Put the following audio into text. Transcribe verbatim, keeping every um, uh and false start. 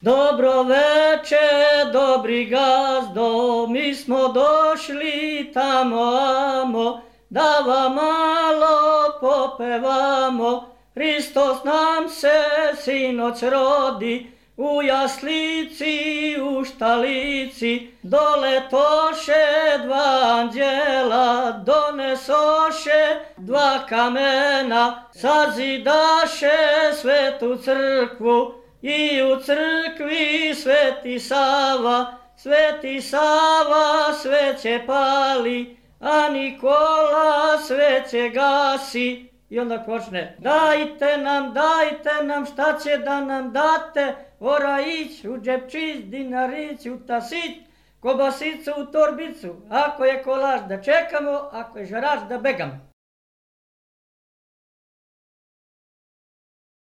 Dobro veče, dobri gazdo, mi smo došli tamo amo, da vam malo popevamo. Hristos nam se sinoć rodi, u jaslici, u štalici, doletoše dva anđela, donesoše dva kamena, sazidaše svetu crkvu, i u crkvi Sveti Sava, Sveti Sava sveće pali, a Nikola sveće gasi. I onda počne: dajte nam, dajte nam, šta će da nam date, ora ić u džepčić, dinarić u tasić, kobasicu u torbicu, ako je kolač da čekamo, ako je žarač da begamo.